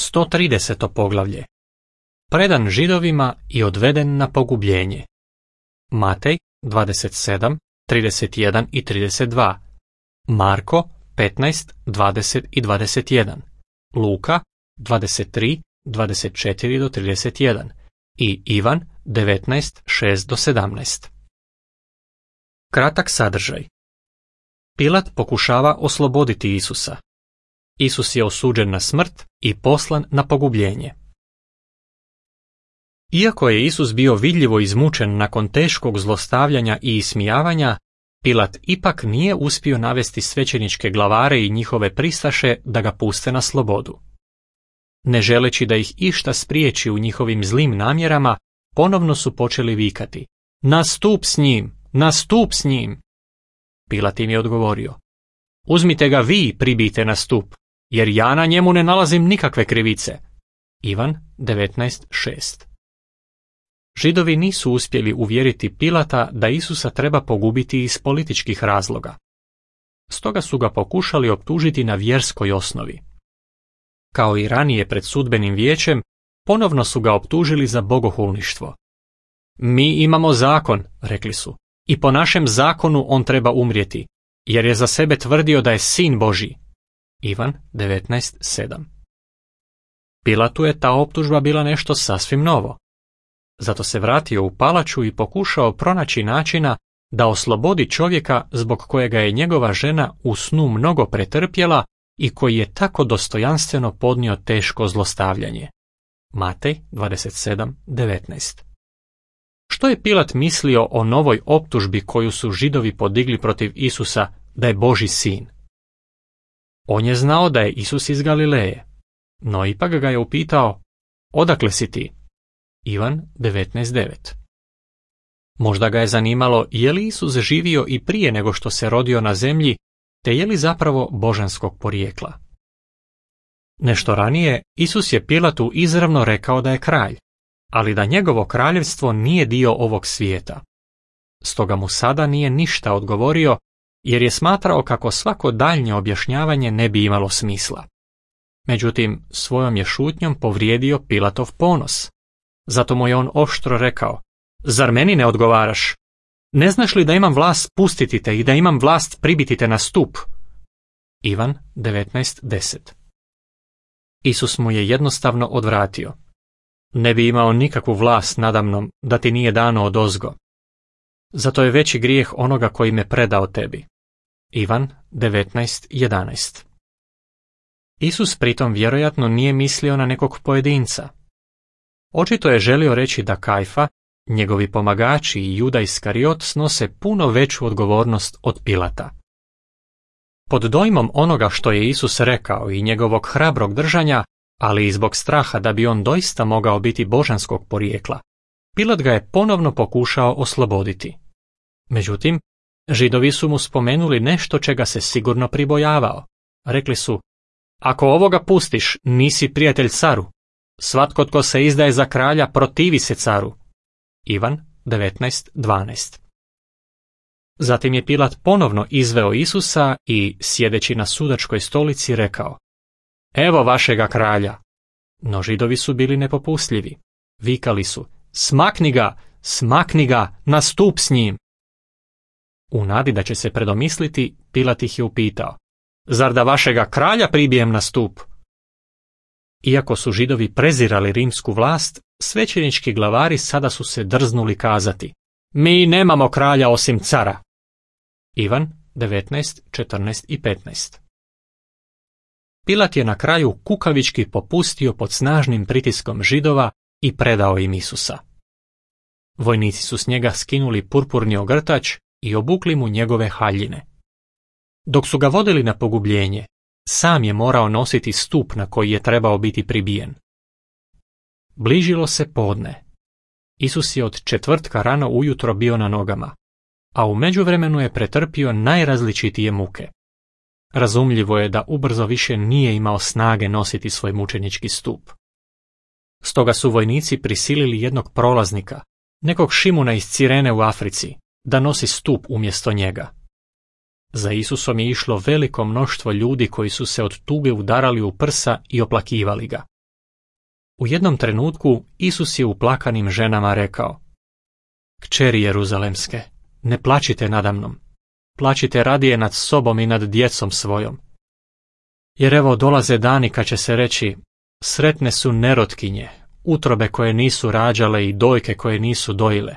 130. poglavlje. Predan Židovima i odveden na pogubljenje. Matej 27, 31 i 32. Marko 15, 20 i 21. Luka 23, 24 do 31. I Ivan 19, 6 do 17. Kratak sadržaj. Pilat pokušava osloboditi Isusa. Isus je osuđen na smrt i poslan na pogubljenje. Iako je Isus bio vidljivo izmučen nakon teškog zlostavljanja i ismijavanja, Pilat ipak nije uspio navesti svećeničke glavare i njihove pristaše da ga puste na slobodu. Ne želeći da ih išta spriječi u njihovim zlim namjerama, ponovno su počeli vikati: "Na stup s njim! Na stup s njim!" Pilat im je odgovorio: "Uzmite ga vi, pribijte na stup, jer ja na njemu ne nalazim nikakve krivice." Ivan 19.6. Židovi nisu uspjeli uvjeriti Pilata da Isusa treba pogubiti iz političkih razloga. Stoga su ga pokušali optužiti na vjerskoj osnovi. Kao i ranije pred sudbenim vijećem, ponovno su ga optužili za bogohulništvo. "Mi imamo zakon," rekli su, "i po našem zakonu on treba umrijeti, jer je za sebe tvrdio da je sin Božji." Ivan 19.7. Pilatu je ta optužba bila nešto sasvim novo. Zato se vratio u palaču i pokušao pronaći načina da oslobodi čovjeka zbog kojega je njegova žena u snu mnogo pretrpjela i koji je tako dostojanstveno podnio teško zlostavljanje. Matej 27.19. Što je Pilat mislio o novoj optužbi koju su Židovi podigli protiv Isusa da je Božji sin? On je znao da je Isus iz Galileje, no ipak ga je upitao: "Odakle si ti?" Ivan 19.9. Možda ga je zanimalo je li Isus živio i prije nego što se rodio na zemlji, te je li zapravo božanskog porijekla. Nešto ranije Isus je Pilatu izravno rekao da je kralj, ali da njegovo kraljevstvo nije dio ovog svijeta. Stoga mu sada nije ništa odgovorio, jer je smatrao kako svako daljnje objašnjavanje ne bi imalo smisla. Međutim, svojom je šutnjom povrijedio Pilatov ponos. Zato mu je on oštro rekao: "Zar meni ne odgovaraš? Ne znaš li da imam vlast pustiti te i da imam vlast pribiti te na stup?" Ivan 19.10. Isus mu je jednostavno odvratio: "Ne bi imao nikakvu vlast nadamnom da ti nije dano odozgo. Zato je veći grijeh onoga koji me predao tebi." Ivan 19.11. Isus pritom vjerojatno nije mislio na nekog pojedinca. Očito je želio reći da Kajfa, njegovi pomagači i Juda Iskariot snose puno veću odgovornost od Pilata. Pod dojmom onoga što je Isus rekao i njegovog hrabrog držanja, ali i zbog straha da bi on doista mogao biti božanskog porijekla, Pilat ga je ponovno pokušao osloboditi. Međutim, Židovi su mu spomenuli nešto čega se sigurno pribojavao. Rekli su: "Ako ovoga pustiš, nisi prijatelj caru. Svatko tko se izdaje za kralja protivi se caru." Ivan 19.12. Zatim je Pilat ponovno izveo Isusa i, sjedeći na sudačkoj stolici, rekao: "Evo vašega kralja." No Židovi su bili nepopustljivi. Vikali su: "Smakni ga, smakni ga, na stup s njim." U nadi da će se predomisliti, Pilat ih je upitao: "Zar da vašega kralja pribijem na stup?" Iako su Židovi prezirali rimsku vlast, svećenički glavari sada su se drznuli kazati: "Mi nemamo kralja osim cara." Ivan 19, 14 i 15. Pilat je na kraju kukavički popustio pod snažnim pritiskom Židova i predao im Isusa. Vojnici su s njega skinuli purpurni ogrtač i obukli mu njegove haljine. Dok su ga vodili na pogubljenje, sam je morao nositi stup na koji je trebao biti pribijen. Bližilo se podne. Isus je od četvrtka rano ujutro bio na nogama, a u međuvremenu je pretrpio najrazličitije muke. Razumljivo je da ubrzo više nije imao snage nositi svoj mučenički stup. Stoga su vojnici prisilili jednog prolaznika, nekog Šimuna iz Cirene u Africi, da nosi stup umjesto njega. Za Isusom je išlo veliko mnoštvo ljudi koji su se od tuge udarali u prsa i oplakivali ga. U jednom trenutku Isus je uplakanim ženama rekao: Kćeri Jeruzalemske, ne plačite nadamnom, plačite radije nad sobom i nad djecom svojom. Jer evo dolaze dani kad će se reći: sretne su nerotkinje, utrobe koje nisu rađale i dojke koje nisu dojile.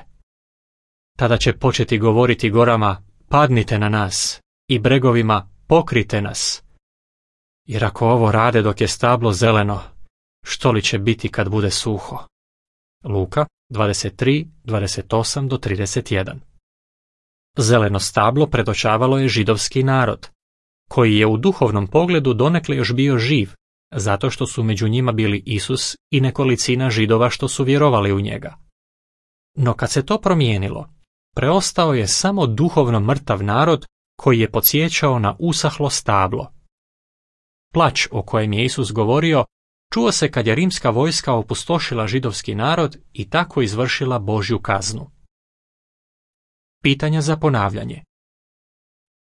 Tada će početi govoriti gorama: padnite na nas, i bregovima: pokrite nas. Jer ako ovo rade dok je stablo zeleno, što li će biti kad bude suho? Luka 23, 28-31. Zeleno stablo predočavalo je židovski narod, koji je u duhovnom pogledu donekle još bio živ, zato što su među njima bili Isus i nekolicina Židova što su vjerovali u njega. No kad se to promijenilo, preostao je samo duhovno mrtav narod koji je podsjećao na usahlo stablo. Plać o kojem je Isus govorio čuo se kad je rimska vojska opustošila židovski narod i tako izvršila Božju kaznu. Pitanja za ponavljanje.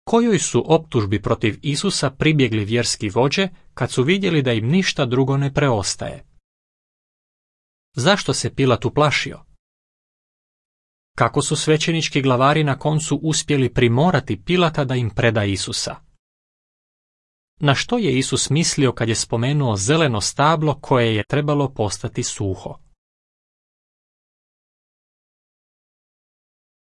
Kojoj su optužbi protiv Isusa pribjegli vjerski vođe kad su vidjeli da im ništa drugo ne preostaje? Zašto se Pilat uplašio? Kako su svećenički glavari na koncu uspjeli primorati Pilata da im preda Isusa? Na što je Isus mislio kad je spomenuo zeleno stablo koje je trebalo postati suho?